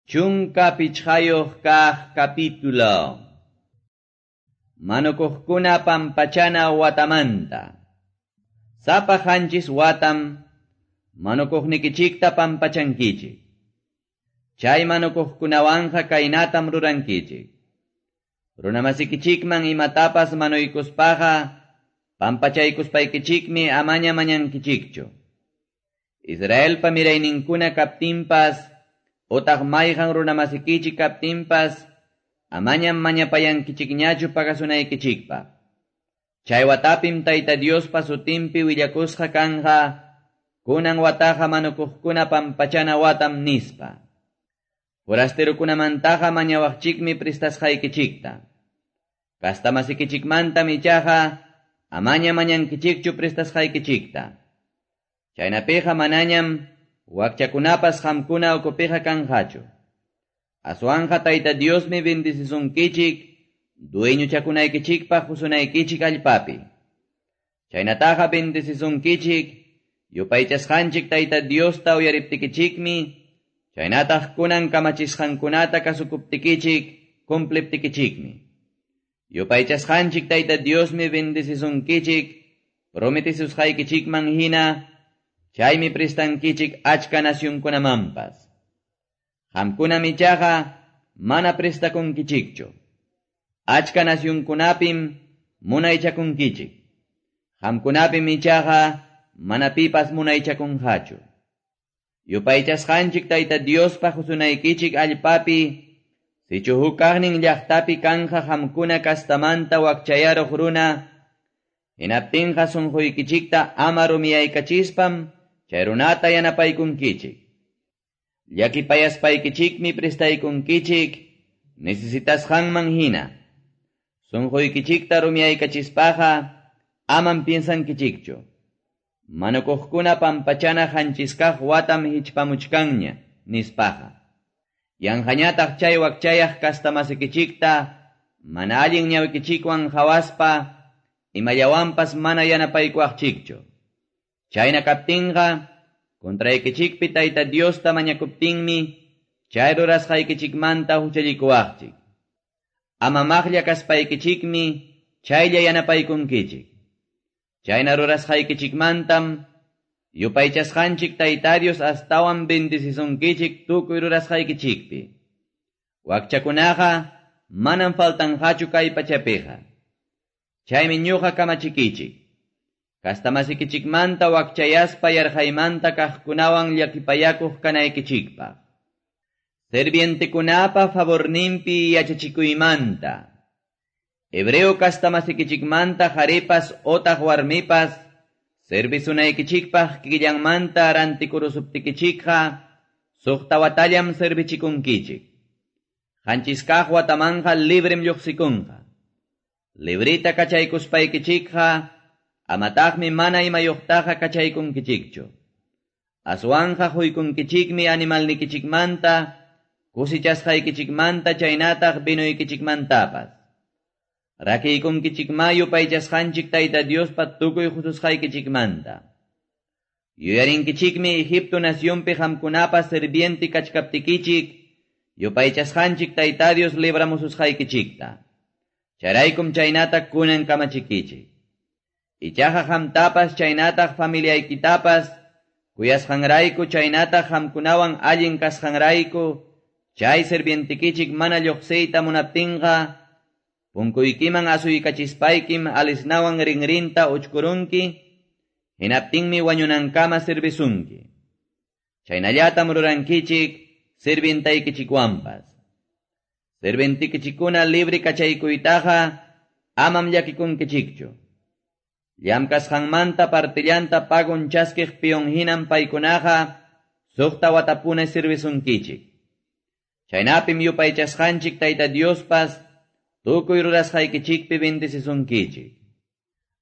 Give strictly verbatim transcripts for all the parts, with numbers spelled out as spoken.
Chunka pichqayuq kaq capítulo. Manukuqkuna pampachana watamanta. Sapa qanchis watam manukuqnikichikta pampachankichik. Chay manukuqkunawanqa kaynatam rurankichik. Runamasikichikman imatapas manuykuspaqa pampachaykuspaykichikmi amaña mañankichikchu. Israelpa mirayninkuna kaptinpas otaq mayqan runamasikichik kaptinpas amañam mañapayankichikñachu pagasunaykichikpaq. Chay watapim Tayta Diospa sutinpi willakusqa kanja kunan wataqa manukuqkuna pampachana watam nispa. Forasterokunamantaqa mañawaqchikmi prestasqaykichikta. Kastamasikichikmantam ichaqa amaña mañankichikchu prestasqaykichikta. Chaynapiqa manañam wakchakunapas qamkuna ukupiqa kanqachu. Aswanqa Tayta Diosmi bendecisunkichik dueñochakunaykichikpaq qusunaykichik allpapi. Chaynataqa bendecisunkichik yupaychasqanchik Tayta Diosta uyariptikichikmi, chaynataq kunan kamachisqankunata kasukuptikichik cumpliptikichikmi. Yupaychasqanchik Tayta Diosmi bendecisunkichik prometisusqaykichikman hina, chaymi prestankichik achka nacionkunamanpas. Qamkunam ichaqa mana prestakunkichikchu. Achka nacionkunapim munaychakunkichik. Qamkunapim ichaqa mana pipas munaychakunqachu. Yupaychasqanchik Tayta Diospa qusunaykichik allpapi, sichu huk kaqnin llaqtapi kanja qamkuna kastamanta wakchayaruq runa, hinaptinqa sunquykichikta ama rumiyaykachispan chay runata yanapaykunkichik. Llakipayaspaykichikmi prestaykunkichik necesitasqanman hina. Sunquykichikta rumiyaykachispaqa amam piensankichikchu. Manukuqkuna pampachana qanchiskaq watam hichpamuchkanña nispaqa. Yanqañataq chay wakchayaq kastamasikichikta mana allin ñawikichikwan qhawaspa imallawanpas mana yanapaykuwaqchikchu. Chayna kaptinqa contraykichikpi Tayta Diosta mañakuptinmi chay rurasqaykichikmanta huchallikuwaqchik. Ama maqlla kaspaykichikmi chaylla yanapaykunkichik. Chayna rurasqaykichikmantam yupaychasqanchik Tayta Dios astawan bendecisunkichik tukuy rurasqaykichikpi. Wakchakunaqa manam faltanqachu kay pachapiqa. Chaymi ñuqa kamachikichik. Kastamasikichikmanta wakchayaspa yarqaymanta kaqkunawan llakipayakuq kanaykichikpaq. Servientekunapa favorninpi yachachikuymanta. Hebreo kastamasikichikmanta qharipas otaq warmipas servisunaykichikpaq kikillanmanta rantikurusuptikichikqa suqta watallam servichikunkichik. Qanchiskaq watamanqa librem lluqsikunqa. Librita kachaykuspaykichikqa amataqmi mana imayuqtaqa kachaykunkichikchu. Aswanqa quykunkichikmi animalnikichikmanta, kusichasqaykichikmanta chaynataq vinuykichikmantapas. Rakiykunkichikma yupaychasqanchik Tayta Diospa tukuy qususqaykichikmanta. Yuyarinkichikmi Egipto nacionpi qamkunapa serviente kachkaptikichik, yupaychasqanchik Tayta Dios libramususqaykichikta. Chayraykum chaynata kunan kamachikichik. Ichaqa qamtapas chaynataq familiaykitapas, kuyasqanrayku chaynataq qamkunawan allin kasqanrayku, chay servientikichik mana lluqsiyta munaptinqa, punkuykiman asuykachispaykim alisnawan rinrinta uchkurunki, hinaptinmi wañunankama servisunki. Chaynallatam rurankichik sirvientaykichikwanpas. Sirvientikichikuna libre kachaykuytaqa amam llakikunkichikchu. Llamkasqanmanta partillanta pagun chaskiq peon hinam paykunaqa suqta watapuna servisunkichik. Chaynapim yupaychasqanchik Tayta Diospas tukuy rurasqaykichikpi bendecisunkichik.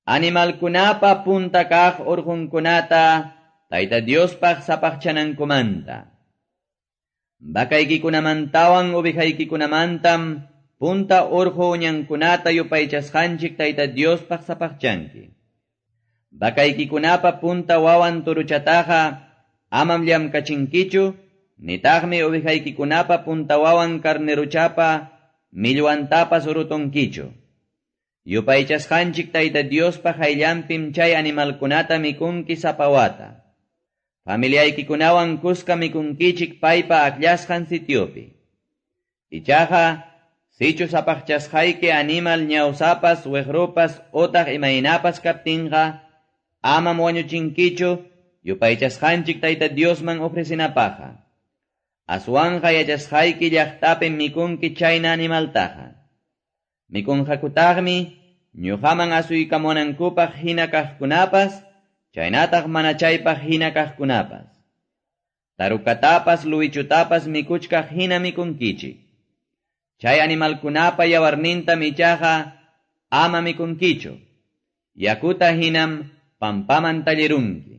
Animalkunapa punta kaq urqunkunata Tayta Diospaq sapaqchanankumanta. Vakaykikunamantawan ovejaykikunamantam punta urqu uñankunata yupaychasqanchik Tayta Diospaq sapaqchanki. Vakaykikunapa punta wawan turuchataqa amam llamkachinkichu, Nitaqmi ovejaykikunapa punta wawan carnerochapa millwantapas rutunkichu. Yupaychasqanchik Tayta Diospa qayllanpim chay animalkunata mikunki sapa wata. Familiaykikunawan kuska mikunkichik paypa akllasqan sitiopi. Ichaqa, sichus sapaqchasqayki animal ñawsapas, wiqrupas, utaq imaynapas kaptinqa, amam wañuchinkichu yupaychasqanchik Tayta Diosman ofrecinapaqqa. Aswanqa yachasqayki llaqtapim mikunki chayna animaltaqa. Mikunqakutaqmi ñuqaman asuykamunankupaq hina kaqkunapas, chaynataq mana chaypaq hina kaqkunapas. Tarukatapas luwichutapas mikuchkaq hina mikunkichik. Chay animalkunapa yawarnintam ichaqa ama mikunkichu. Yakuta hinam pampaman tallirunki.